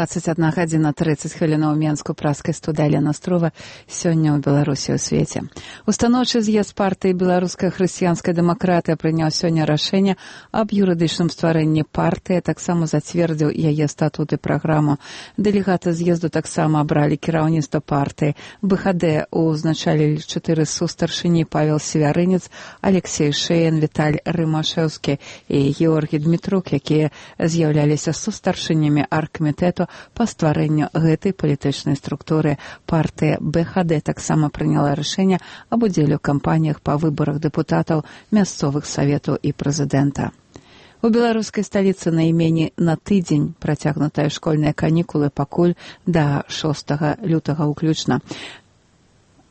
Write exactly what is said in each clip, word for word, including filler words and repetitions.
двадцать одна гадзіна тридцать хвілінаў у Менску, праскай студыі Алена Строва. Сёння ў Беларусі ў свеце. Устаноўчы з'езд партыі Беларуская хрысціянская дэмакратыя прыняў сёння рашэнне аб юрыдычным стварэнні партыі, таксама зацвердзіў яе статут і праграму. Дэлегаты з'езду таксама абралі кіраўніцтва партыі. БХД узначалілі чатыры сустаршыні: Павел Севярынец, Алексей Шеян, Віталь Рымашэўскі і Георгій Дмітрук, якія з'яўляліся сустаршынямі аргкамітэту па стварэнню гэтай палітычнай структуры. Партыя БХД таксама прыняла рашэнне аб удзеле ў кампаніях па выбарах дэпутатаў мясцовых саветаў і прэзідэнта. У беларускай сталіцы на імені на тыдзень працягнутыя школьныя канікулы пакуль да шостага лютага ўключна.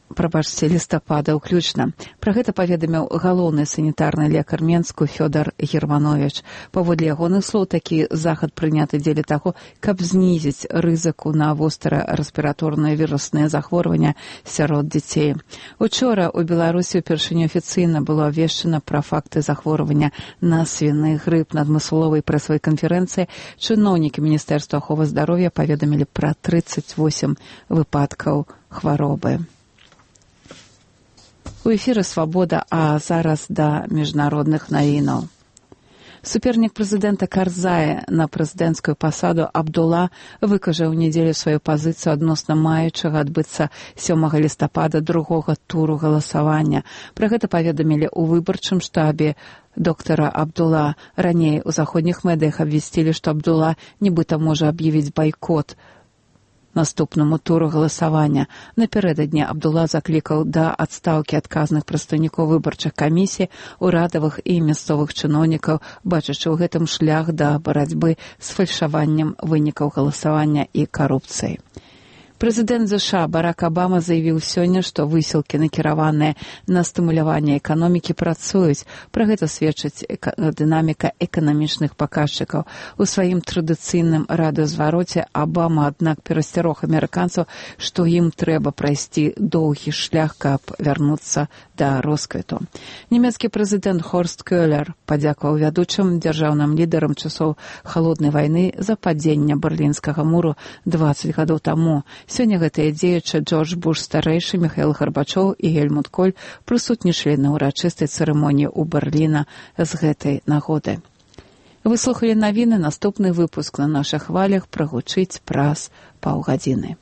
Прабачце, лістапада ўключна. Пра гэта паведаміў галоўны санітарны лекар Менску Фёдор Германович. Паводле ягоных слоў, такі захад прыняты дзеля таго, каб знізіць рызыку на востра-рэспіраторныя вірусныя захворвання сярод дзяцей. Учора ў Беларусі ўпершыню афіцыйна было абвешчана пра факты захворвання на свіны грып. На адмысловай прэсавай канферэнцыі чыноўнікі Міністэрства аховы здароўя паведамілі пра трыццаць восем выпадкаў хваробы. У эфіры «Свабода», а зараз да міжнародных навінаў. Супернік прэзідэнта Карзая на прэзідэнцкую пасаду Абдула выкажаў у нядзелю сваю пазіцыю адносна маючага адбыцца сёмага лістапада другога туру галасавання. Пра гэта паведамілі ў выбарчым штабе доктара Абдула. Раней у заходніх медыях абвясцілі, што Абдула нібыта можа аб'явіць байкот наступнаму туру галасавання. Напярэдадні Абдула заклікаў да адстаўкі адказных прадстаўнікоў выбарчых камісій, урадавых і мясцовых чыноўнікаў, бачачы ў гэтым шлях да барацьбы з фальшаваннем вынікаў галасавання і карупцыяй. Прэзідэнт ЗША Барак Абама заявіў сёння, што высілкі, накіраваныя на стымуляванне эканомікі, працуюць. Пра гэта сведчыць эка- дынаміка эканамічных паказчыкаў. У сваім традыцыйным радыёзвароце Абама, аднак, перасцярог амерыканцаў, што ім трэба прайсці доўгі шлях, каб вярнуцца да росквіту. Нямецкі прэзідэнт Хорст Кёлер падзякаваў вядучым дзяржаўным лідарам часоў халоднай вайны за падзенне Берлінскага муру дваццаць гадоў таму. Сёння гэтыя дзеячы Джордж Буш старэйшы, Міхаіл Гарбачоў і Гельмут Коль прысутнічалі на ўрачыстай цырымоніі ў Берліна з гэтай нагоды. Вы слухалі навіны, наступны выпуск на нашых хвалях прагучыць праз паўгадзіны.